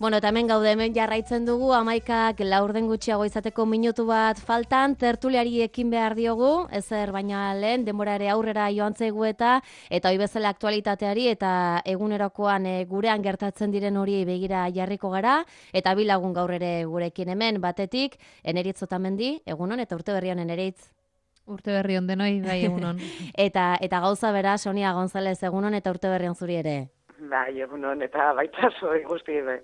Bueno, eta hemen gaude, hemen jarraitzen dugu, 11:04 gutxiago izateko minutu bat faltan, tertuliari ekin behar diogu, ezer baina lehen, denbora ere aurrera joan zaigu eta hoi bezala aktualitateari eta egunerokoan gurean gertatzen diren hori begira jarriko gara, eta bi lagun gaur ere gurekin hemen, batetik, Eneritz Otamendi, egunon, eta urte berri honen Eneritz. Urte berri on denoi, bai egunon. eta gauza bera, Sonia González, egunon, eta urte berri on zuri ere. Bai, egunon, eta baita zoi guzti be.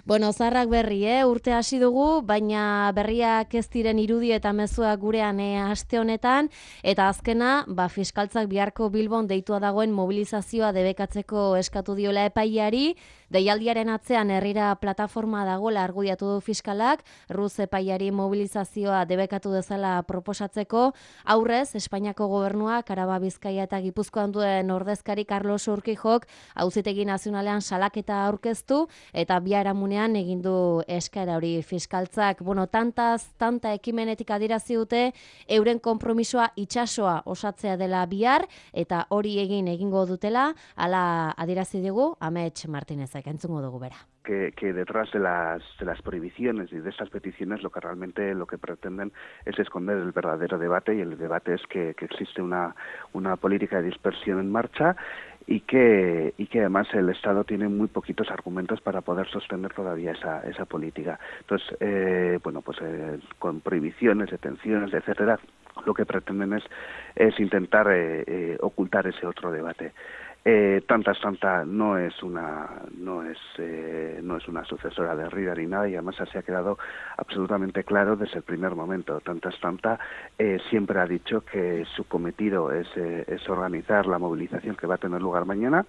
Bueno, zarrak berri, urte hasi dugu, baina berriak ez diren irudi eta mezuak gurean aste honetan, eta azkena, fiskaltzak biharko Bilbon deitua dagoen mobilizazioa debekatzeko eskatu diola epaiari, deialdiaren atzean herrira plataforma dagoela argudiatu du fiskalak, Ruz epaiari mobilizazioa debekatu dezala proposatzeko, aurrez, Espainiako gobernuak, Araba, Bizkaia eta Gipuzkoan duen ordezkari Carlos Urquijok Auzitegi Nazionalean salaketa aurkeztu, eta biharamunean egin du eskaera hori fiskaltzak. Bueno, tanta ekimenetik adierazi dute euren konpromisoa itsasoa osatzea dela bihar, eta hori egingo dutela, hala adierazi digu Amets Martinezek, entzungo dugu bera. Que detrás de las prohibiciones y de estas peticiones lo que pretenden es esconder el verdadero debate, y el debate es que existe una política de dispersión en marcha y que además el Estado tiene muy poquitos argumentos para poder sostener todavía esa política. Entonces, con prohibiciones, detenciones, etcétera, lo que pretenden es intentar ocultar ese otro debate. Tanta no es una sucesora de Rivera ni nada, y además se ha quedado absolutamente claro desde el primer momento. Tanta siempre ha dicho que su cometido es organizar la movilización que va a tener lugar mañana.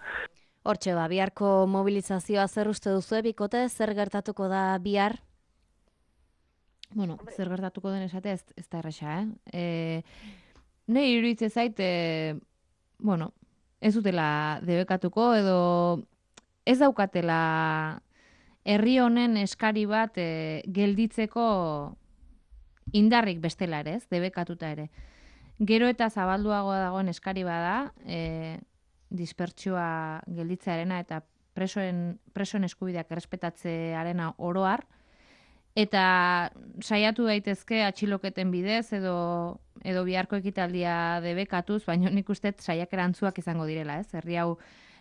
Hortxe biharko mobilizazioa zer uste duzu, bikote, zer gertatuko da bihar? Bueno, zer gertatuko den esatea ez da erresa, Nei iruditzen zait, ez dutela debekatuko edo ez daukatela herri honen eskari bat gelditzeko indarrik bestela ere, debekatuta ere. Gero eta zabalduagoa dagoen eskari bada, dispertsioa gelditzearena eta presoen eskubideak errespetatzearena oroar, eta saiatu daitezke atxiloketen bidez edo biharko ekitaldia debekatuz, baina nik uste saiak erantzuak izango direla,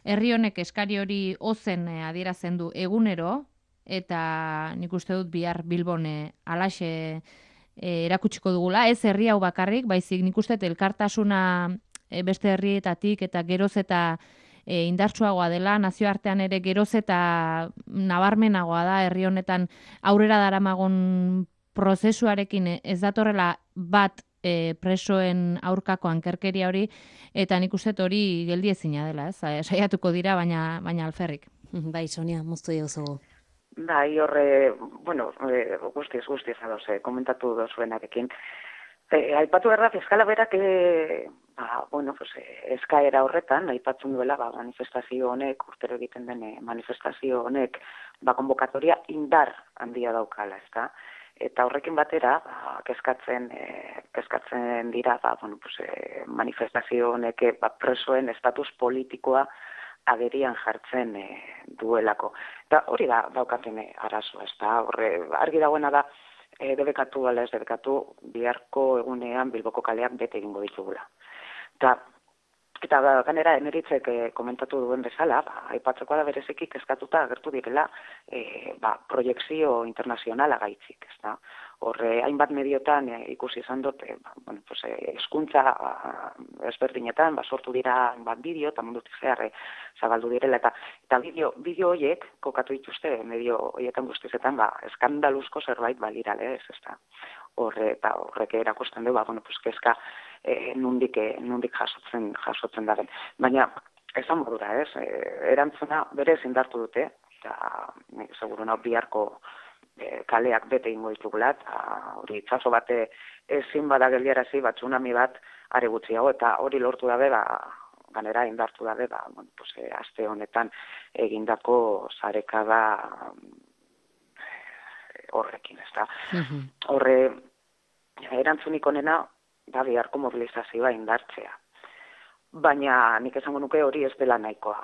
herri honek eskari hori ozen adierazen du egunero, eta nik uste dut bihar Bilbon alaxe erakutsiko dugula, ez herri hau bakarrik, baizik nik uste elkartasuna beste herrietatik eta geroz eta indartsuagoa dela, nazioartean ere geroz eta nabarmenagoa da herri honetan aurrera daramagon prozesuarekin ez datorrela bat presoen aurkako ankerkeria hori, eta nik uste hori geldiezina dela, saiatuko dira, baina alferrik. Bai, Sonia, moztu diozugu. Bai, guztiz ados, komentatu dozuenarekin. Aipatu behar da, fiskala berak eskaera horretan, aipatzen duela manifestazio honek, urtero egiten den manifestazio honek, konbokatoria indar handia daukala, ezta? Eta horrekin batera, kezkatzen dira, manifestazio honek presoen estatus politikoa agerian jartzen duelako. Eta hori da daukaten arazoa, ezta? Argi dagoena da, debekatu ala ez debekatu, biharko egunean Bilboko kaleak bete egingo ditugula. Eta ganera Eneritzek komentatu duen bezala, aipatzeko da bereziki kezkatuta agertu direla proiekzio internazionala gaitzik, ezta? Horre, hainbat mediotan ikusi izan dut, hezkuntza ezberdinetan, sortu dira hainbat bideo, eta mundutik zehar zabaldu direla, eta bideo horiek, kokatu dituzte, medio horietan guztizetan, eskandaluzko zerbait balirale, ezta? Horrek erakusten du, kezka nundik jasotzen daren. Baina, esan modura, erantzuna berez indartu dute, eta seguru nau biharko kaleak bete ingo ditugula, eta hori itxaso bate ezin bada geldiarazi, tsunami bat are gutxiago, eta hori lortu dabe, ganera indartu dabe, aste honetan egindako sarekada horrekin, ezta. Horre, erantzunik onena, biharko mobilizazioa indartzea. Baina nik esango nuke hori ez dela nahikoa.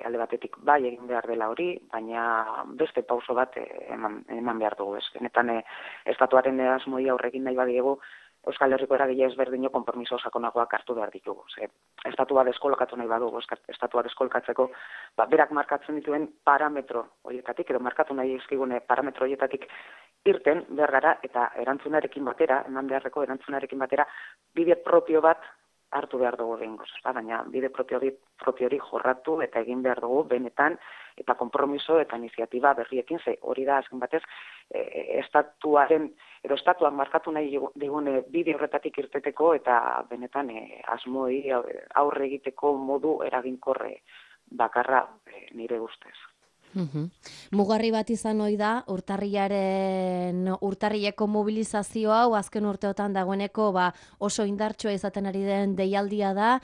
alde batetik bai egin behar dela hori, baina beste pauso bat eman behar dugu. Benetan estatuaren asmoi aurrekin nahi badiegu, Euskal Herriko eragile ezberdino konpromiso sakonagoak hartu behar ditugu. Estatua deskolokatu nahi badugu, estatua deskolokatzeko, berak markatzen dituen parametro horietatik, edo markatu nahi izkigune parametro horietatik irten behar gara, eta erantzunarekin batera, eman beharreko erantzunarekin batera, bide propio bat hartu behar dugu behingoz. Baina bide propio hori jorratu eta egin behar dugu benetan, eta konpromiso eta iniziatiba berriekin, hori da azken batez, estatuak markatu nahi digune bide horretatik irteteko eta benetan asmoi aurre egiteko modu eraginkorre bakarra nire ustez. Mugarri bat izan ohi da, urtarrileko mobilizazio hau azken urteotan dagoeneko oso indartsua izaten ari den deialdia da,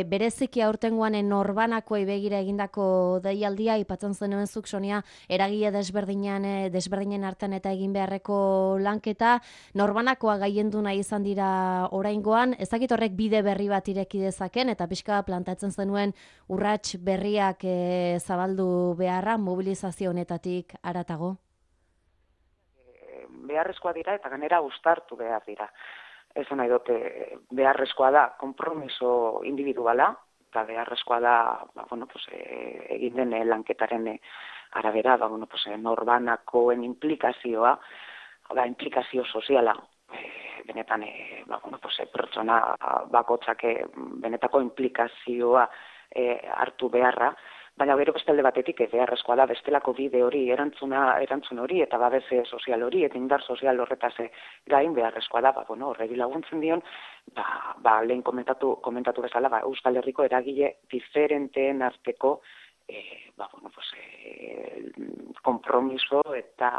bereziki aurtengoan norbanakoei begira egindako deialdia, aipatzen zenuen zuk, Sonia, eragile desberdinen artean eta egin beharreko lanketa, norbanakoa gaiendu nahi izan dira oraingoan, ezakit horrek bide berri bat ireki dezaken, eta pixka plantatzen zenuen urrats berriak zabaldu behar mobilizazio honetatik haratago? Beharrezkoa dira eta ganera uztartu behar dira. Esan nahi dute, beharrezkoa da konpromiso individuala, eta beharrezkoa da egin den lanketaren arabera, norbanakoen implikazioa, implikazio soziala, benetan pertsona bakotzak benetako implikazioa hartu beharra, baina gero beste alde batetik beharrezkoa da bestelako bide hori, erantzun hori eta babes sozial hori eta indar sozial horretaz gain beharrezkoa da, horregi laguntzen dion, lehen komentatu bezala, Euskal Herriko eragile diferenteen arteko konpromiso eta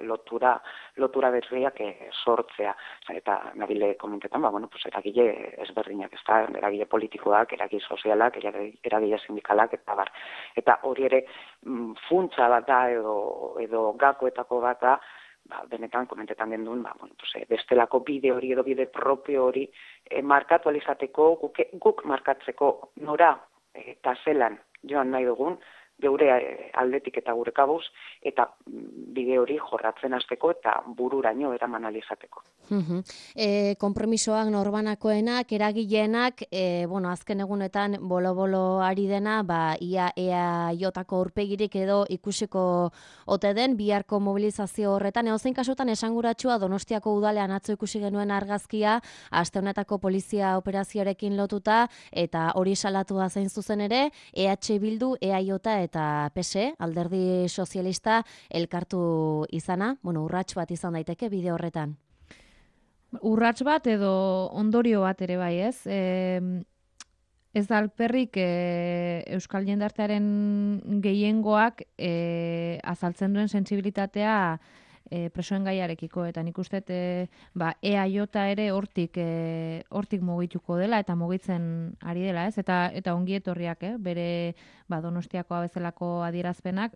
lotura berriak sortzea. Eta nabile komentetan, eragile ezberdinak, eragile politikoak, eragile sozialak, eragile sindikalak, eta hori ere funtsa bat da edo gakoetako bat da, benetan komentetan genduen, bestelako bide hori edo bide propio hori markatu alizateko, guk markatzeko nora eta zelan joan nahi dugun, geure aldetik eta gure kabuz, eta bide hori jorratzen hasteko eta bururaino eraman alizateko. Konpromisoak norbanakoenak, eragileenak, azken egunetan bolo-bolo ari dena, ia EAJ-ko aurpegirik edo ikusiko ote den, biharko mobilizazio horretan, edozein kasutan esanguratsua Donostiako udalean atzo ikusi genuen argazkia, aste honetako polizia operazioarekin lotuta, eta hori salatua zein zuzen ere, EH Bildu, EAJ eta PSE, Alderdi Sozialista, elkartu izana, urrats bat izan daiteke bide horretan. Urrats bat edo ondorio bat ere bai, ez? Ez da alperrik Euskal jendartearen gehiengoak azaltzen duen sentsibilitatea presoen gaiarekiko, eta nik uste EAJ ere hortik mugituko dela eta mugitzen ari dela, ez? Eta ongi etorriak, bere Donostiakoa bezalako adierazpenak.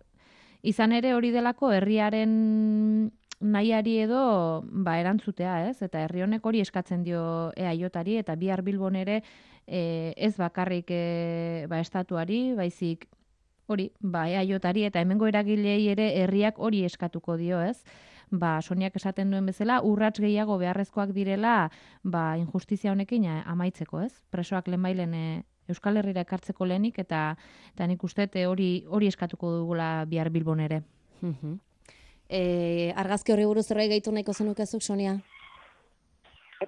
Izan ere hori delako herriaren nahiari edo erantzutea, ez? Eta herri honek hori eskatzen dio EAJ-ari, eta bihar Bilbon ere ez bakarrik estatuari, baizik hori, EAJ-ari eta hemengo eragilei ere herriak hori eskatuko dio, ez? Soniak esaten duen bezala, urrats gehiago beharrezkoak direla injustizia honekin amaitzeko, ez? Presoak lehenbailen Euskal Herrira ekartzeko lehenik, eta nik uste hori eskatuko dugula bihar Bilbon ere. Argazki horri buruz zerbait gehitu nahiko zenukezuk, Sonia?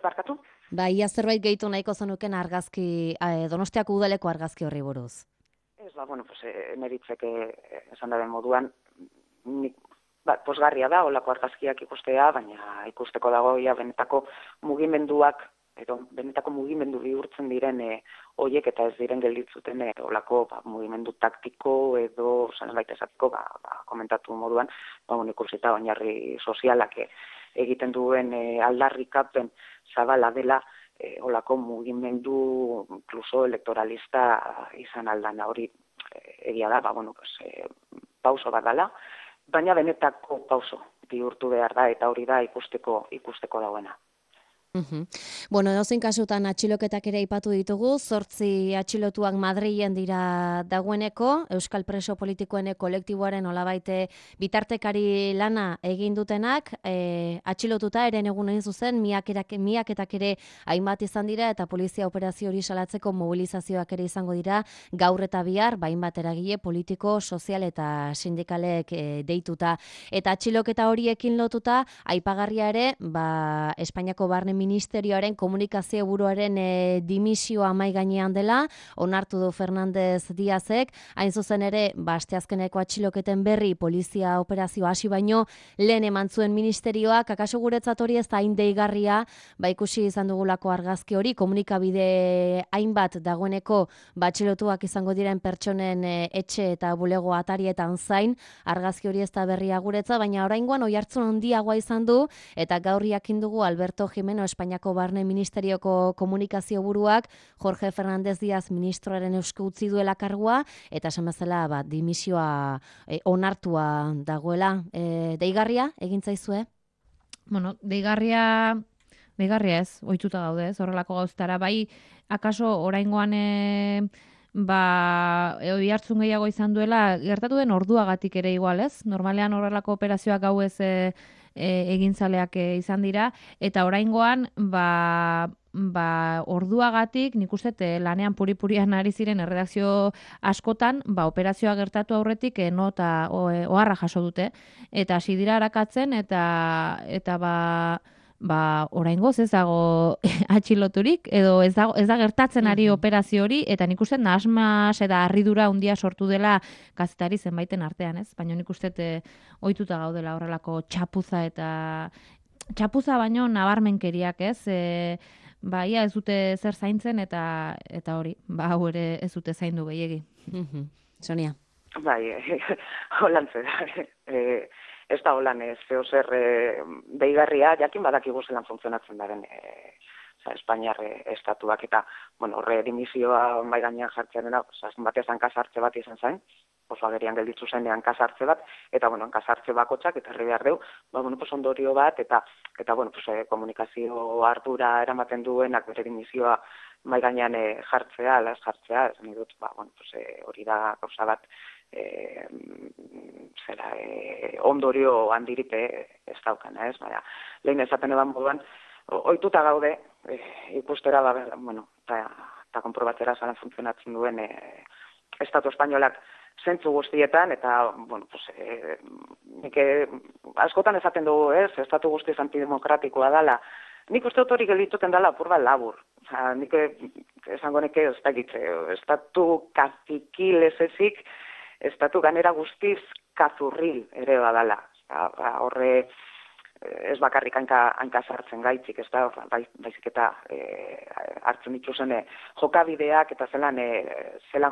Barkatu? Ia zerbait gehitu nahiko zenuken Donostiako udaleko argazki horri buruz. Ez, neritzeke esan daren moduan, posgarria da, olako argazkiak ikustea, baina ikusteko dago benetako mugimenduak, edo benetako mugimendu bihurtzen diren horiek eta ez diren gelditzuten olako mugimendu taktiko edo zanbait esateko komentatu moduan, ikusita oinarri sozialak egiten duen aldarrikapen zabala dela olako mugimendu inkluso elektoralista izan aldana, hori egia da, pauso bat dela, baina benetako pauso bihurtu behar da eta hori da ikusteko dagoena. Bueno, edozein kasutan atxiloketak ere aipatu ditugu, 8 atxilotuak Madrilen dira dagoeneko, Euskal Preso Politikoen kolektiboaren olabaite bitartekari lana egin dutenak, atxilotuta eren egun egin zuzen, miaketak ere hainbat izan dira, eta polizia operazio hori salatzeko mobilizazioak ere izango dira, gaur eta bihar, hainbat eragile politiko, sozial eta sindikalek deituta. Eta atxiloketa horiekin lotuta, aipagarria ere, Espainiako Barne Ministerioaren komunikazio buruaren dimisioa mai gainean dela, onartu du Fernández Díazek, hain zuzen ere, asteazkeneko atxiloketen berri polizia operazio hasi baino, lehen eman zuen ministerioak, akaso guretzat hori ez da hain deigarria, ikusi izan dugulako argazki hori, komunikabide hainbat dagoeneko atxilotuak izango diren pertsonen etxe eta bulego atarietan zain, argazki hori ez da berria guretza, baina oraingoan oihartzun handiagoa izan du, eta gaur jakin dugu Alberto Jimeno Espainiako Barne Ministerioko komunikazio buruak Jorge Fernández Díaz ministroaren esku utzi duela kargua, eta esan bezala dimisioa onartua dagoela. Deigarria egin zaizue? Bueno, deigarria ez, ohituta gaude, ez, horrelako gauztara. Bai, akaso oraingoan oihartzun gehiago izan duela, gertatu den orduagatik ere igual, ez? Normalean horrelako operazioak gauez egintzaleak izan dira, eta oraingoan orduagatik nik uste lanean puri-purian ari ziren erredakzio askotan, operazioa gertatu aurretik nota oharra jaso dute, eta hasi dira arakatzen, eta oraingoz ez dago atxiloturik, edo ez da gertatzen ari operazio hori, eta nik uste nahasmas eta harridura handia sortu dela kazetari zenbaiten artean, ez? Baina nik uste ohituta gaudela horrelako txapuza baino nabarmenkeriak, ez? Ia ez dute zer zaintzen, eta hori, hau ere ez dute zaindu gehiegi. Sonia. Bai, holantze da. Ez da holan zeo zer deigarria, jakin badakigu zelan funtzionatzen daren Espainiar estatuak, eta horre dimisioa mai gainean jartzen dena, batez hankasartze bat izan zain, oso agerian gelditzu zenean hankasartze bat, eta hankasartze bakotxak, eta herri behar deu, ondorio bat, eta komunikazio ardura eramaten duenak bere dimisioa mai gainean jartzea, las jartzea, esan dut, hori da gauza bat, ondorio handirik ez daukana, ez? Lehen esaten eban moduan, ohituta gaude, ikustera, eta konprobatzera zalan funtzionatzen duen Estatu Espainolak zentzu guztietan, eta, nik askotan esaten dugu, ez? Estatu guztiz antidemokratikoa dela. Nik uste dut hori geldituten dela apur bat labur. Nik esango neke ez dakitze, estatu kazikil ez ezik, estatu ganera guztiz kazurril ere badala. Horre ez bakarrik hanka sartzen gaitzik, ez da, baizik eta hartzen dituzen jokabideak eta zelan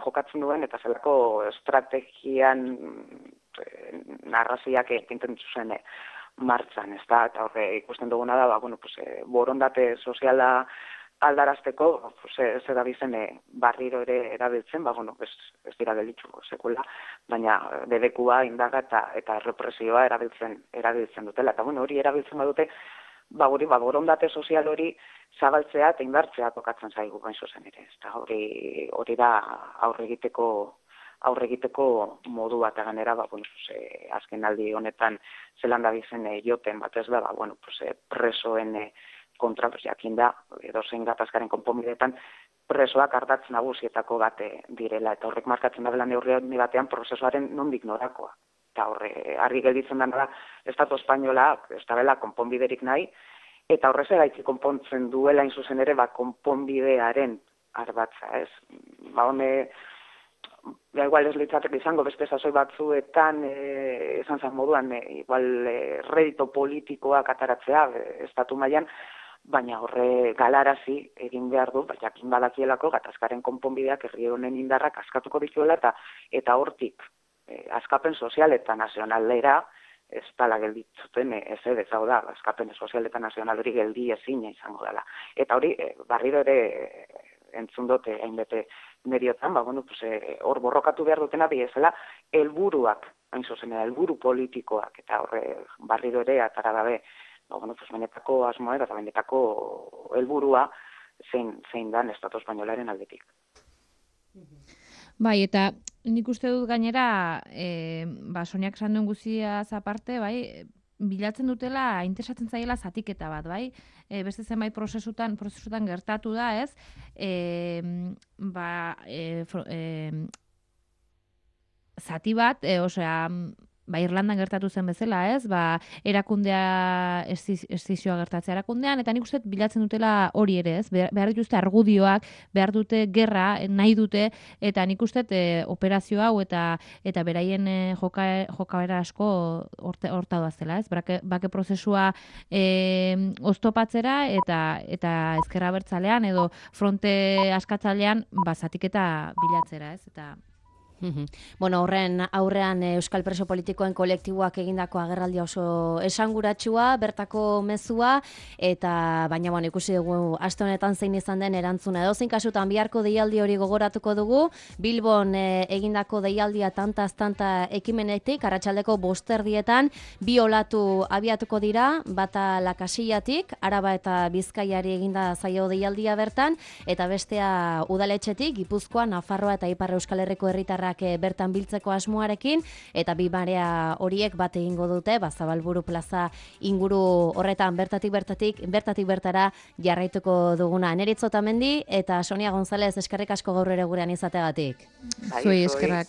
jokatzen duen eta zelako estrategian narraziak pinten dituzen martzan, ez da, eta horre ikusten duguna da, borondate soziala aldarazteko, ez edabizen barriro ere erabiltzen, ez dira gelitzu sekula, baina debekua, indaga eta represioa erabiltzen dutela. Eta hori erabiltzen badute, borondate sozial hori zabaltzea eta indartzea tokatzen zaigu bain zuzen ere. Eta hori da aurre egiteko modu bat eganera, azken aldi honetan zelan dabizen joten bat ez da, presoen kontra, jakin da, edozein gatazkaren konponbideetan, presoak ardatz nagusietako bat direla, eta horrek markatzen da dela neurri batean prozesuaren nondik norakoa. Eta horre, argi gelditzen dena da, Estatu Espainola ez da bela konponbiderik nahi, eta horrez egaitzi konpontzen duela inzuzen ere, konponbidearen ardatza, ez? Igual ez litzatek izango beste sasoi batzuetan esan zan moduan, igual redito politikoak ataratzea estatu mailan, baina horre galarazi egin behar du, jakin badakielako gatazkaren konponbideak herri honen indarrak askatuko dituela eta hortik askapen sozial eta nazionalera ez dala gelditzuten ez hau da, askapen sozial eta nazional hori geldi ezina izango dela. Eta hori barriro ere entzun dute hainbete mediotan, hor borrokatu behar dutena biezela helburuak, hain zuzen helburu politikoak, eta horre barriro ere atara gabe benetako asmoa eta benetako helburua zein dan estatu espainolaren aldetik. Bai, eta nik uste dut gainera, Soniak esan duen guziaz aparte, bai, bilatzen dutela, interesatzen zaiela zatiketa bat, bai? Beste zenbait prozesutan gertatu da, ez? Zati bat, Irlandan gertatu zen bezala, ez? Erakundea estizioa gertatzea erakundean, eta nik uste bilatzen dutela hori ere, ez? Behar dituzte argudioak, behar dute gerra, nahi dute, eta nik uste operazio hau eta beraien jokabera asko horta doazela, ez? Bake prozesua oztopatzera eta ezkerra bertzalean edo fronte askatzalean zatiketa bilatzera, ez? Eta Bueno, horren aurrean Euskal Preso Politikoen kolektiboak egindako agerraldia oso esanguratsua, bertako mezua, eta baina ikusi dugu aste honetan zein izan den erantzuna. Edozein kasutan biharko deialdi hori gogoratuko dugu, Bilbon egindako deialdia tanta ekimenetik, arratsaldeko 5:00 bi olatu abiatuko dira, bata Lakasillatik, Araba eta Bizkaiari eginda zaio deialdia bertan, eta bestea udaletxetik, Gipuzkoa, Nafarroa eta Ipar Euskal Herriko herritarrak bertan biltzeko asmoarekin, eta bi marea horiek bat egingo dute, Zabalburu plaza inguru horretan bertatik bertara jarraituko duguna. Neritz Otamendi eta Sonia González, eskerrik asko gaur ere gurean izategatik. Zuei eskerrak.